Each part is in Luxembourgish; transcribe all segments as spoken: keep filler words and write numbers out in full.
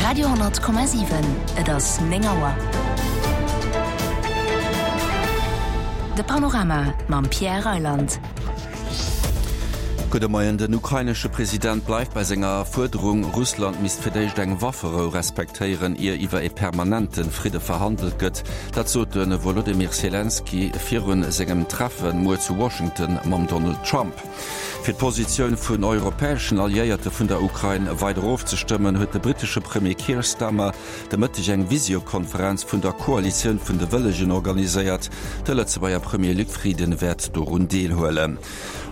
Radio honnert Komma siwen, Et ass néng Auer. De Panorama mam Pierre Reyland. Gudde Moien, Den ukrainesche President bleift bei senger Fuerderung, Russland misst fir d'éischt eng Wafferou respektéieren, ier iwwer ee permanente Fridde verhandelt gëtt. Dat sot de Wolodymyr Selenskyj virun sengem Treffe muer zu Washington mam Donald Trump. Fir d'Positioun vun europäeschen Alliéierte vun der Ukrain weider ofzestëmmen, huet de brittesche Premier Keir Starmer de Mëtteg eng Visiokonferenz vun der Koalitioun vun de Wëllegen organiséiert. De Lëtzebuerger Premier Luc Frieden wäert dorun deelhuelen.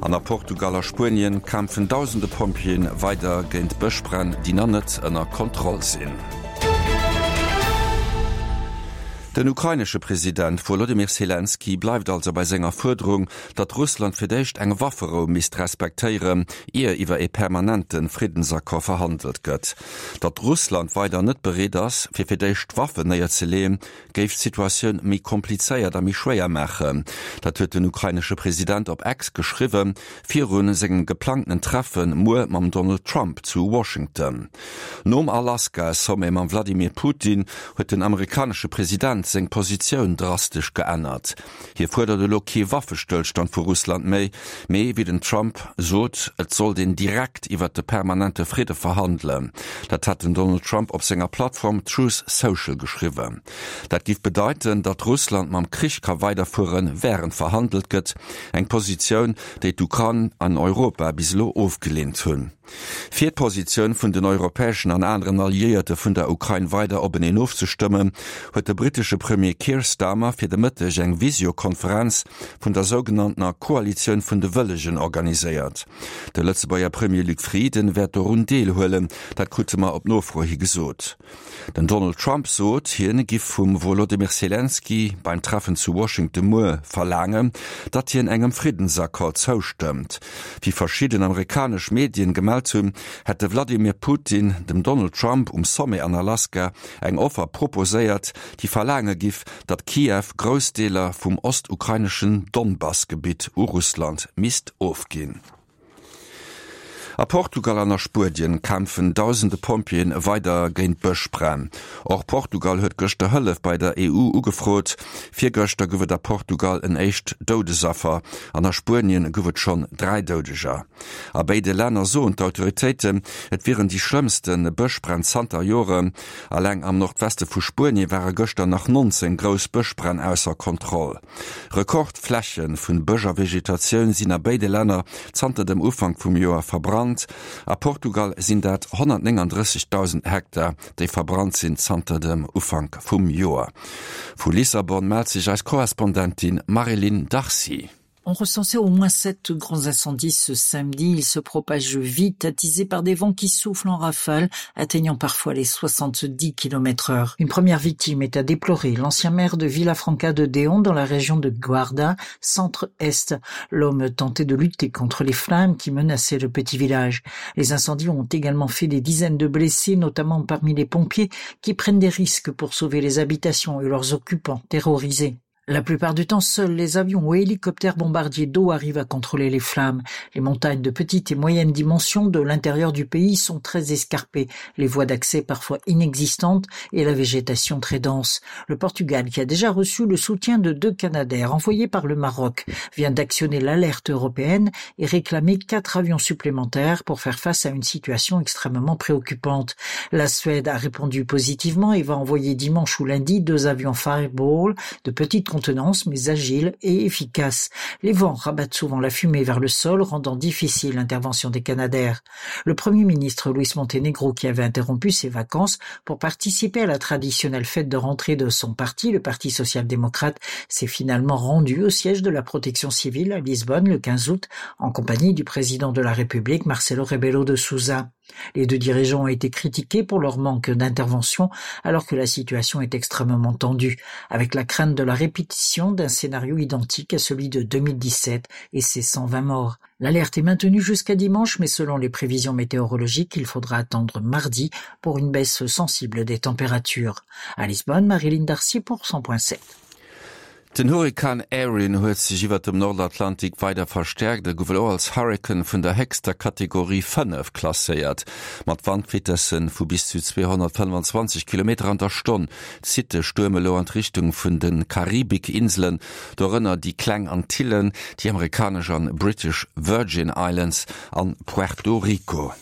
An a Portugal a Spuenien kämpfen dausende Pompjeeën weider géint Bëschbränn, déi nach net ënner Kontroll sinn. Den ukrainesche President Wolodymyr Selenskyj bleift also bei senger Fuerderung, datt Russland fir d'éischt eng Wafferou misst respektéieren, ier iwwer ee permanente Friddensaccord verhandelt gëtt. Datt Russland weider net bereet ass, fir fir d'éischt d'Waffen néierzeleeën, géif d'Situatioun méi komplizéiert a méi schwéier maachen. Dat huet den ukrainesche President op X geschriwwen, viru sengem geplangtenen Treffe muer mam Donald Trump zu Washington. Nom Alaska-Sommet mam Vladimir Putin huet den amerikanesche President seng Positioun drastesch geännert. Hie fuerdert elo kee Waffestëllstand vu Russland méi, mee wéi den Trump sot, et sollt een direkt iwwert de permanente Fridde verhandelen. Dat hat den Donald Trump op senger Plattform Truth Social geschriwwen. Dat giff bedeiten, datt Russland mam Krich ka weiderfueren, wärend verhandelt gëtt, eng Positioun, déi d'Ukrain an Europa bis elo ofgeleent hunn. Fir d'Positioun vun den europäeschen an aneren Alliéierte vun der Ukrain weider openeen ofzestëmmen, huet de brittesche Premier Keir Starmer fir de Mëtteg eng Visiokonferenz vun der sougenanntener Koalitioun vun de Wëllegen organiséiert. De Lëtzebuerger Premier Luc Frieden wäert dorun deelhuelen, dat krute mer op Nofro hi gesot. Den Donald Trump sot, hien giff vum Wolodymyr Selenskyj beim Treffen zu Washington muer verlaangen, datt hien engem Friddensaccord zoustëmmt. Wéi verschidden amerikanesch Medien gemellt hunn, hätt de Wladimir Putin dem Donald Trump um Sommet an Alaska eng Offer proposéiert, déi verlaange giff, datt Kiew grouss Deeler vum ostukraineschen Donbass-Gebitt u Russland misst ofginn. A Portugal an a Spuedien kämpfen dausende Pompjeeën weider géint Bëschbränn. Och Portugal huet gëschter Hëllef bei der E U ugefrot. Virgëschter gouf et a Portugal en éischt Doudesaffer an a Spuenien gouf et schonn dräi Doudeger. A béide Länner soen d'Autoritéiten, et wieren déi schlëmmste Bëschbränn zanter Joren. Alleng am Nordweste vu Spuenie ware gëschter nach nonzéng grouss Bëschbränn ausser Kontroll. Rekordfläche vun Bësch a Vegetatioun sinn a béide Länner zanter dem Ufank vum Joer verbrannt. A Portugal sinn dat honnertnénganddrëssegdausend Hektar, déi verbrannt sinn zanter dem Ufank vum Joer. Vu Lissabon mellt sech eis Korrespondentin Marie-Line Darcy. On recensait au moins sept grands incendies ce samedi. Ils se propagent vite, attisés par des vents qui soufflent en rafale, atteignant parfois les soixante-dix kilomètres heure. Une première victime est à déplorer, l'ancien maire de Villafranca de Déon dans la région de Guarda, centre-est. L'homme tentait de lutter contre les flammes qui menaçaient le petit village. Les incendies ont également fait des dizaines de blessés, notamment parmi les pompiers qui prennent des risques pour sauver les habitations et leurs occupants terrorisés. La plupart du temps, seuls les avions ou hélicoptères bombardiers d'eau arrivent à contrôler les flammes. Les montagnes de petite et moyenne dimension de l'intérieur du pays sont très escarpées, les voies d'accès parfois inexistantes et la végétation très dense. Le Portugal, qui a déjà reçu le soutien de deux Canadaires envoyés par le Maroc, vient d'actionner l'alerte européenne et réclamer quatre avions supplémentaires pour faire face à une situation extrêmement préoccupante. La Suède a répondu positivement et va envoyer dimanche ou lundi deux avions Fireball de petite contenance mais agile et efficace. Les vents rabattent souvent la fumée vers le sol, rendant difficile l'intervention des Canadaires. Le Premier ministre Luis Montenegro, qui avait interrompu ses vacances pour participer à la traditionnelle fête de rentrée de son parti, le Parti social-démocrate, s'est finalement rendu au siège de la protection civile à Lisbonne le quinze août en compagnie du président de la République Marcelo Rebelo de Sousa. Les deux dirigeants ont été critiqués pour leur manque d'intervention alors que la situation est extrêmement tendue, avec la crainte de la répétition d'un scénario identique à celui de deux mille dix-sept et ses cent vingt morts. L'alerte est maintenue jusqu'à dimanche, mais selon les prévisions météorologiques, il faudra attendre mardi pour une baisse sensible des températures. À Lisbonne, Marie-Line Darcy pour cent point sept. Den Hurrikan Erin huet sech iwwer dem Nordatlantik weider verstäerkt a gouf elo als Hurrikan vun der héchster Kategorie fënnef klasséiert. Mat Wandvitesse vu bis zu zweehonnertfënnefanzwanzeg Kilometer an der Stonn zitt de Stuerm elo an d'Richtung vun de Karibikinselen, dorënner déi Kleng Antillen, déi amerikanesch an British Virgin Islands an Puerto Rico.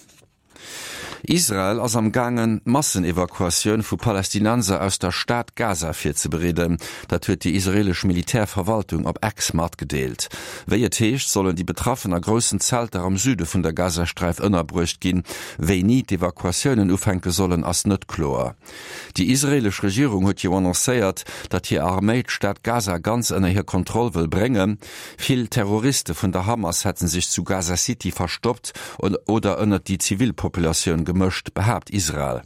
Israel ass am gaangen, d'Massenevakuatioun vu Palästinenser aus der Stad Gaza virzebereeden. Dat huet déi israeelesch Militärverwaltung op X matgedeelt. Wéi et heescht, sollen déi Betraffen a groussen Zelter am Süde vun der Gazasträif ënnerbruecht ginn. Wéini d'Evakuatiounen ufänke sollen, ass net kloer. Déi israeelesch Regierung huet jo annoncéiert, datt hir Arméi d'Stad Gaza ganz ënner hir Kontroll wëll bréngen. Vill Terroriste vun der Hamas hätte sech zu Gaza City verstoppt oder ënnert déi Zivilpopulatioun gemëscht, behaapt Israel.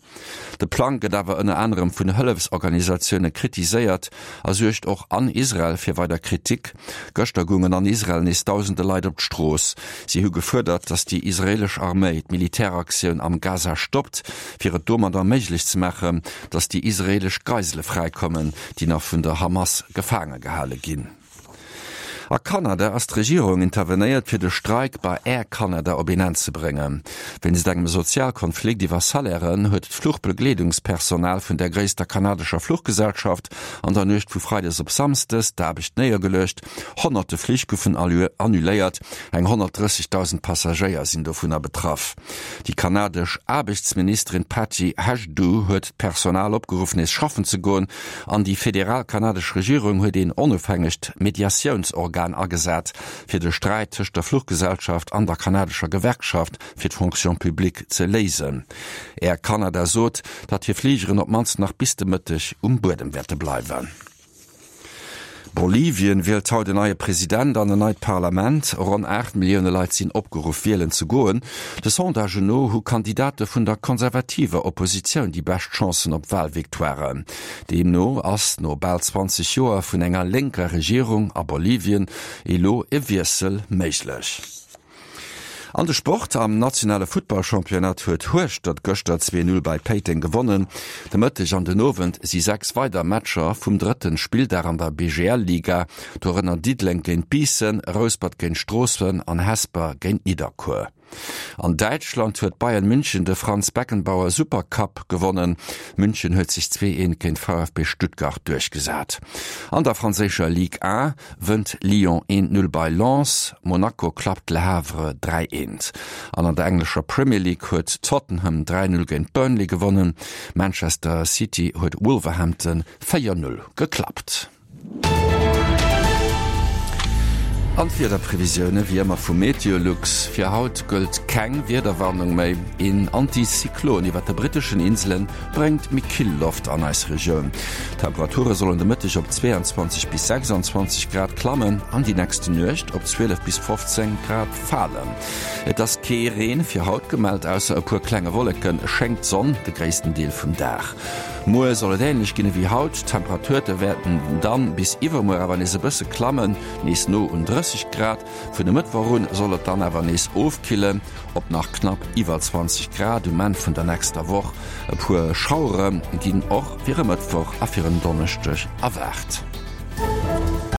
De Plang gëtt awer ënner anerem vun Hëllefsorganisatioune kritiséiert a suergt och an Israel fir weider Kritik. Gëschter goungen an Israel nees dausende Leit op d'Strooss. Si hu gefuerdert, datt déi israeelesch Arméi d'Militäraktioun am Gaza stoppt, fir et domadder méiglech ze maachen, datt déi israeelesch Geisele fräikommen, déi nach vun der Hamas gefaange gehale ginn. A Kanada ass d'Regierung intervenéiert, fir de Streik bei Air Canada op een Enn ze bréngen. Wéinst engem Sozialkonflikt iwwer Salairen huet d'Fluchbegleedungspersonal vun der gréisster kanadescher Fluchgesellschaft an der Nuecht vu Freides op Samsdes d'Aarbecht néiergeluecht. Honnerte Flich goufen annuléiert, eng honnertdrëssegdausend Passagéier sinn dovunner betraff. Déi kanadesch Aarbechtsministerin Patty Hajdu huet d'Personal opgeruff nees schaffen ze goen an déi federal kanadesch Regierung huet een onofhängegt Mediatiounsorgan agesat, fir de Sträit tëscht der Fluchgesellschaft an der kanadescher Gewerkschaft fir d'Fonction publique ze léisen. Air Canada sot, datt hir Fligeren op d'mannst nach bis de Mëtteg um Buedem wäerte bleiwen. Bolivien wielt haut en neie President an en neit Parlament. Ronn aacht Millioune Leit sinn opgeruff, wielen ze goen. De Sondagen no hu Kandidate vun der konservativer Oppositioun déi bescht Chancen op Walvictoiren. Deemno ass no bal zwanzeg Joer vun enger lénker Regierung a Bolivien elo e Wiessel méiglech. An de Sport, Am nationale Futtballchampionnat huet Hueschtert gëschter zwee Null bei Péiteng gewonnen. De Mëtteg an den Owend si sechs weider Matcher vum drëtten Spilldag an der B G L Liga, dorënner Diddeleng géint Biissen, Rouspert géint Stroossen an Hesper géint Nidderkuer. An Däitschland huet Bayern München de Franz Beckenbauer Supercup gewonnen. München huet sech zwee eent géint V F B Stuttgart duerchgesat. An der franséischer Ligue un wënnt Lyon eent Null bei Lens, Monaco klappt Le Havre dräi eent. An an der englescher Premier League huet Tottenham dräi Null géint Burnley gewonnen. Manchester City huet Wolverhampton véier Null geklappt. An d'Wiederprevisioune wéi ëmmer vu Meteolux, Fir haut gëllt keng Wiederwarnung méi. Een Antizyklon iwwert de britteschen Insele bréngt méi kill Loft an eis Regioun. D'Temperature sollen de Mëtteg op zweeanzwanzeg bis sechsanzwanzeg Grad klammen an déi nächst Nuecht op zwielef bis fofzéng Grad falen. Et ass kee Reen fir haut gemellt, ausser e puer klenge Wolleke schéngt d'Sonn de gréissten Deel vum Dag. Muer soll et änlech ginn ewéi haut, d'Temperature wäerten dann bis iwwermuer awer nees e bësse klammen, nees no un drësseg Grad. Vun e Mëttwoch un soll et dann awer nees ofkillen op nach knapp iwwer zwanzeg Grad um Enn vun der nächster Woch. E puer Schauere ginn och fir e Mëttwoch a fir en Donneschdeg erwaart.